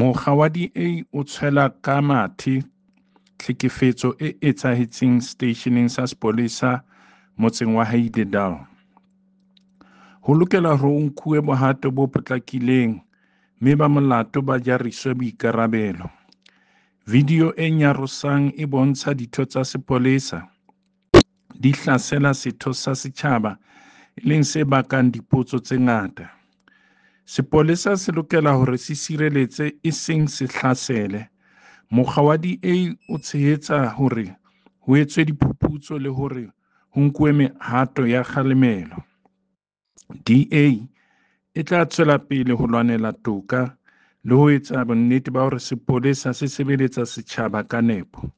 Mokga wa DA o tshwela ka mathe tlhekefetso e etsahetseng seteisheneng sa sepolesa motseng wa Heidedal. Ho lokela hore ho nkuwe bohato bo potlakileng mme ba molato ba jariswe boikarabelo. Video e nyarosang e bontsha ditho tsa sepolesa di hlasela setho sa setjhaba, e leng se bakang dipotso tse ngata. Sepolesa se lokela hore se sireletse, e seng se hlasele. Mokga wa DA o tshehetsa hore ho etswe diphuputso le hore ho nkuwe mehato ya kgalemelo. DA e tla tswela pele ho lwanela toka le ho etsa bonnete ba hore sepolesa se sebeletsa setjhaba ka nepo.